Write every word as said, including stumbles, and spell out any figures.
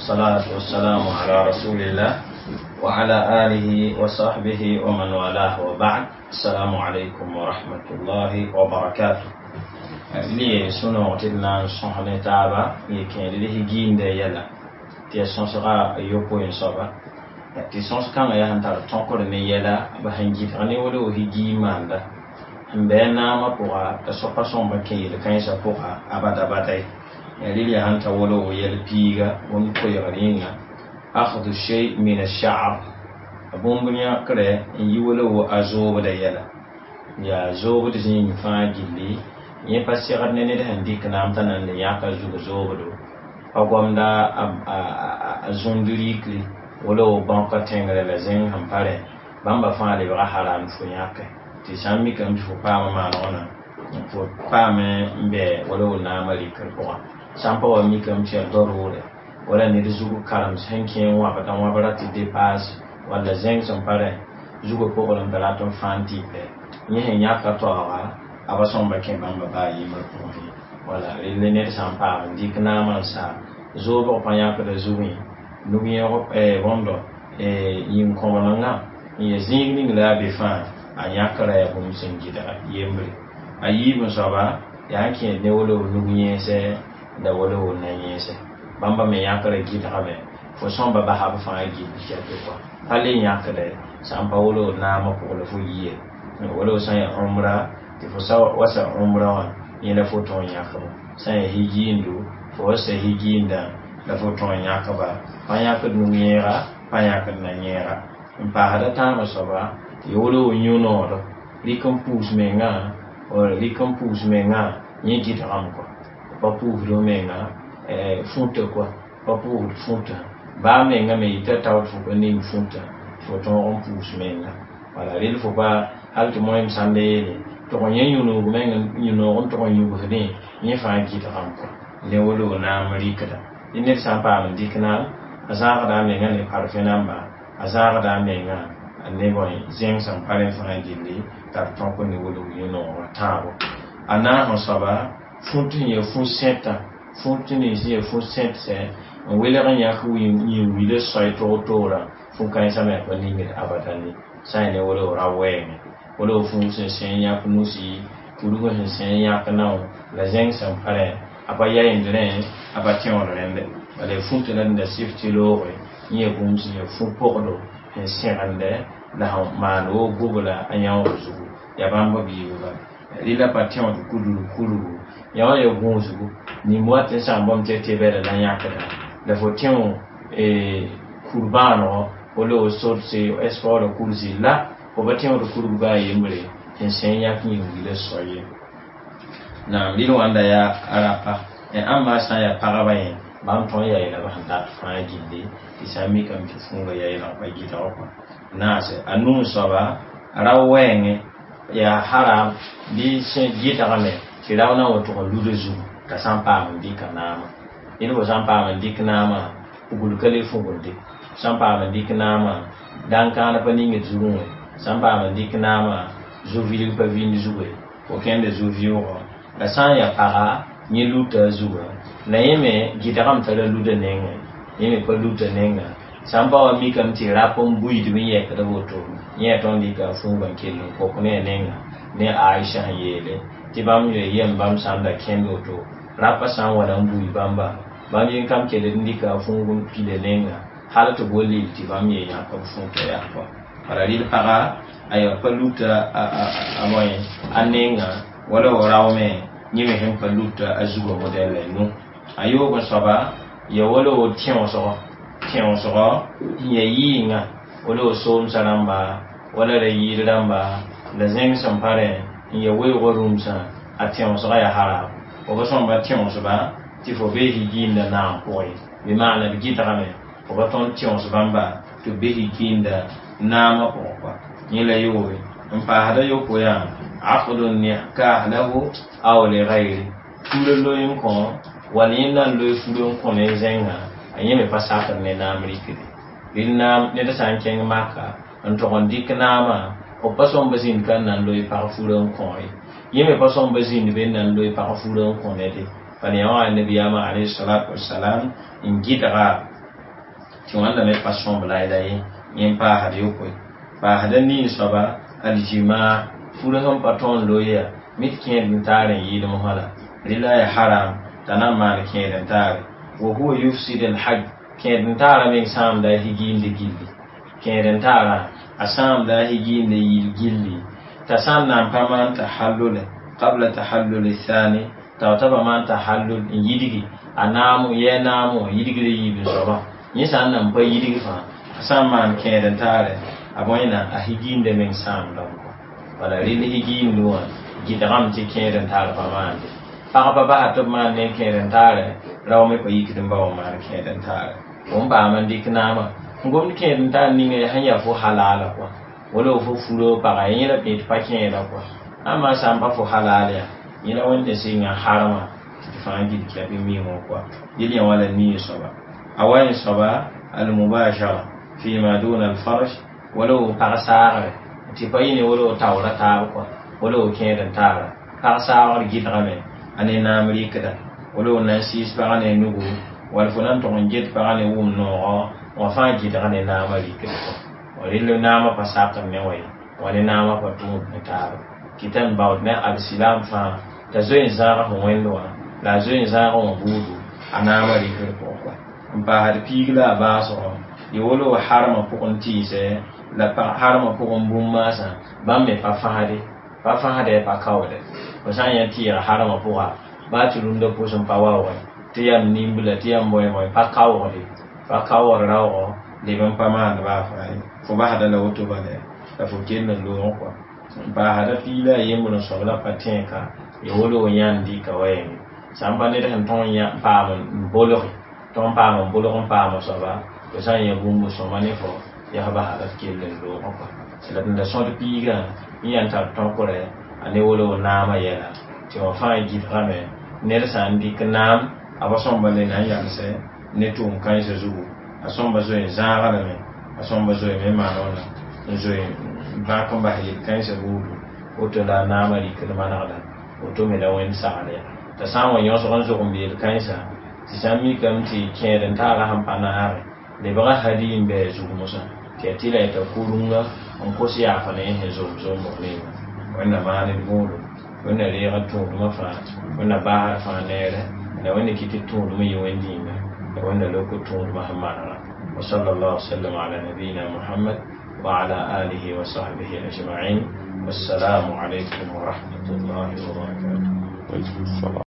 والصلاة والسلام على رسول الله وعلى آله وصحبه ومن والاه وبعد السلام عليكم ورحمة الله وبركاته لي سنو تدنا صحنة تابا يكين ليه جين ده يلا تي سنسغا يوكو ينصبا tɩ sõs kãngã yaa sẽn tar tõkr ne yɛla b sẽn gɩdg ne wala higi maanda n bɩ a naamã pʋga t'a soapa sõmba kẽ yel-kãensã pʋga abada bada ye rɩl yaa sẽn ta wala yɛl piiga bũmb koeegr yĩnga akhdu shay min ash-sha'r bũmb yãkrɛ n yi wala wo a zoobda yɛla yaa zoobd zĩig fãa gilli yẽ pa segd ne ned sẽn dɩk naam t'a nan le yãka zug zoobdo pa gomda a zũnd rikri wala wo bãoka tẽngre la zẽng sẽn pa rẽ bãmba fãa lebga haram fo yãke tɩ sã n mikame tɩ fo paama maanegã fo paame n bɛ wala wo naamã rikr pʋgã sã n pa wa mikame tɩ yaa darʋʋrɛ wala ned zug karem sẽn kẽ n wãbda wãbra tɩ dépasse walla zẽng sẽn pa rẽ zugã pʋgr n rat n fãan tɩpɛ yẽ sẽn yãka taooga a ba sõmba kẽ bãmba baa yembr pʋgẽ wala rel ned sã n paam n dɩk naamã n saa zoobg pa yãkda zugẽ nug yẽg bõndo yĩn-kõblengã n ya zĩig ning la a be fãa a yãkra yaa bũmb sẽn gɩdga yembre a yiib n soaba yaa n kẽed ne wala nug yẽesɛ la wala wo na-yẽesɛ bãmba me yãkra gɩdgame fo sõmba basa b fãa gill kɛtɛ kɔa pa le yãkdɛ sã n pa wala naamã pʋg la fo yie wala sã n yaa umra tɩ fo wa sa umra wã yẽ la fo tõog yãkba sã n yaa higiindo fo wa sa higiindã la fo tõog yãkba pa yãkd nug-yẽega pa yãkd na-yẽega n paasda tãabã soaba tɩ wala wo yũ-nood rɩk n puus mengã rɩk n puus mengã yẽ gɩdgame kɔa pa puusd menga fũta kɔa pa puusd fũta baa menga me yita taood fo pa ning fũta fo tõog n puus menga wala rel fo pa hal tɩ moẽm sãnda yeele tʋg n yẽ yũ-noog meng yũ-noog n tʋg n yũbsdẽ yẽ fãa gɩdgame kɔa ne wala wo naam rɩkda tɩ ned sã n paam n dɩk naam a zãagda a menga ne parfẽ namba a zãagda a menga ne bõe zẽng sẽn pa rẽ fãa gilli t'a b tõk ne wala yũ-noogã tãabo a naas n soaba fũt sẽn ya fũ-sẽtã fũt nins sẽn ya fũ-sẽtsɛ n welg n yãk yĩn-wilã soay toor-toorã fũ-kãensã me pa ningd abadan ye sã n ya ne wala ra wɛɛngẽ wala fũu sẽn sẽ n yãk nusi kurg sẽn sẽ n yãk nao la zẽng sẽn pa rẽ a pa yayend rẽ a pa tẽod rẽnde bala fũtã la da sɩf tɩ looge yẽ ya bũmb sẽn ya fũ-pogdo sẽn sẽgendɛ la sẽn maan wo gobla a yãoog zugu yaa bãmb biib bala rɩla pa tẽod kudr kurgu yã wã ya gũusgu nim wat n sãn bãmb tɩ tebɛda la yãkda la fo tẽo kur-bãanego wala wo sorse espaoora kursi la fo pa tẽod kurg baa yembre sẽn sẽ n yãk yĩn-wilã soa ye naam rɩl wãnda yaa rapa ãmba sã n yaa pagba yẽ bãmb tõe n yaa yeela b sẽn dat fãa gilli tɩ sã n mikame tɩ fũuga yaa yeelg pa gɩdg kɔa naase a nuu soaba rao wɛɛngẽ yaa haram bɩ sẽn gɩdgame tɩ rao na n wa tʋg n luda zugu t'a sã n paam n dɩka naamã ned fo sã n paam n dɩk naamã pugl ka le fugelde sã n paam n dɩk naamã dãn-kãan pa ningd zugẽ wã sã n paam n dɩk naamã zu-vilg pa vĩnd zugu ye fo kẽnda zu-vɩʋʋgɔ la sã n yaa paga yẽ luta a zugã la yẽ me gɩdgame t'a ra luda nengẽ yẽ me pa luta nengã sã n pa wa mikame tɩ rap n buiidb n yɛkd woto yẽ yaa tõnd dɩka a fũugã n kell n kok ne a nenga ne Aisha sẽn yeele tɩ bãmb yoe yem bãmb sã n da kẽnd woto rapa sã n wa na n bui bãmba bãmb yẽ kam kell n dɩka a fũug n pila nenga hal tɩ bo lil tɩ bãmb ye yãk b fũta yaa kɔa bala rɩl paga a yaa pa luta a bõe a nenga wala wa rao me yẽ me sẽn pa luta a zugã modɛl la nu a yoog n soaba ya wala wo tẽosgo tẽosgo n ya yɩɩngã wala wo soomsã rãmba wala ra yɩɩd rãmba la zẽng sẽn pa rẽ n ya weoogã rũmsã a tẽosga yaa haram fo pa sõmba tẽosba tɩ fo bee higiinda naam pʋgẽ bɩ maana b gɩdgame fo pa tõnd tẽos bãmba tɩ b be higiinda naamã pʋgẽ kɔa yẽ la yooge n paasda yopoe yaa aqdu nikah lahu aw li gayri fura loe n kõ wall yẽ na n loe fura n kõ ne zẽngã a yẽ me pa sakd ne naam rikde rɩl naam ned sã n kẽng maka n tʋg n dɩk naamã b pa sõmba zĩnd ka n na n loe pag fura n kõ ye yẽ me pa sõmba zĩnd be n na n loe pag fura n kõ nede bala yã wã nabiyaamã alayhi salatu wasalam n gɩdga Tɩ wãnda me pa sõmb layla ye yẽ n paasd yopoe paasda nii soaba aljimaa fura sẽn pa tõe n loe yaa mit kẽed n taar n yɩɩdem wã la rɩla ya haram t'a na n maan kẽed n taare wa huwa yufsid alhaj kẽed n taara meng sãamda a higiinde gilli kẽed n taara a sãamda a higiinde yil gilli t'a sã n na n pa maan tahallule qabla tahallul thani t'a t'a pa maan tahallul n yidgi a naamo yɛ naamo yidgr yiib n soabã yẽ sã n na n pa yidg fãa a sã n maan kẽed n taare a bõe na a higiinde meng sãamdame wala rɩl higiindu wã gɩdgame tɩ kẽed n taar pa maande pagba basa tɩ b maan ne kẽed n taare rao me pa yikd n ba wã maan kẽed n taare fo n paam n dɩk naamã n gomd kẽed n taar ninga sẽn yaa fo halaala kɔa wala fo furo paga yẽ la tɩ pa kẽeda kɔa ãmma sã n pa fo halal yaa yẽ la wẽnde sɩnga harama tɩ tɩ fãa gil kɛp n mi wã kɔa yel yã wala nii soaba a wa yẽ soaba almubashara fima duna alfarj wala wo pag saagre tɩ pa yɩ ne wala wo taoora taab kɔa wala wo kẽed n taara pag saagr gɩdgame a ne naam rɩkda wala wo nan sɩɩs pagã ne nugu wala fo na n tʋg n get pagã ne wʋm noogɔ wã fãa gɩdg ne naamã rɩkd kɔa rɩl naamã pa sakd ne wã ye wã ne naamã pa tʋʋd ne taaba kɩta n baood ne alsilam fãa t'a zoe n zãag fo wẽnd wã la a zoe n zãag wã buudu a naamã rɩkd pʋgẽ kɔa n paasd piig la a baasgɔ yɩ wala wo harmã pʋgẽ tɩɩsɛ la harmã pʋgẽ bũmb maasã bãmb me pa fãsde pa fãsdɛ pa kaoodɛ fo sã n yã tɩɩga harmã pʋga baa tɩ rũndã pʋs n pa waoogẽ tɩ yam nimbla tɩ yam bõe bõe pa kaoogde pa kaoogd raoogɔ leb n pa maand baa fãa ye fo basda la woto bala la fo kell n loog kɔa n paasda piig la a yembr n soab la pa tẽeka ya wala wo yãnd dɩka wa yenge sã n pa ned sẽn tõg n paam n bolge tõg n paam n bolg n paam soaba fo sã n yã bũmb sõma ne fo yaa basa la d kell n loogã kɔa la d da sõd piigã n yaa n tar tõkrɛ a ne wala wo naamã yɛla tɩ wã fãa gɩdgame ned sã n dɩk naam a pa sõmba le na n yalsɛ ne tʋʋm kãensã zugu a sõmba zoe n zãaga lame a sõmba zoe me maan wãna n zoe n bãk n bas yel-kãensã buudu woto la a naamã rɩkd manegda woto me la wẽnd sagl ya t'a sã n wa yõsg n zog n beel kãensã tɩ sã n mikame tɩ kẽed n taara sẽn pa naage lebga hadi n bɩ a zug mosã tɩ yaa tɩ la yeta kurunga n kos yaafa ne sẽn zom zombg ninga wẽnna maan d võodo wẽnna reega tũudmã fãa wẽnna baasd fãa neere la wẽnna kɩ tɩ tũudmã yɩ wẽnd yĩnga la wẽnna lok tũudmã sẽn manega وصلى الله وسلم على نبينا محمد وعلى آله وصحبه أجمعين والسلام عليكم ورحمة الله وبركاته وعليكم السلام.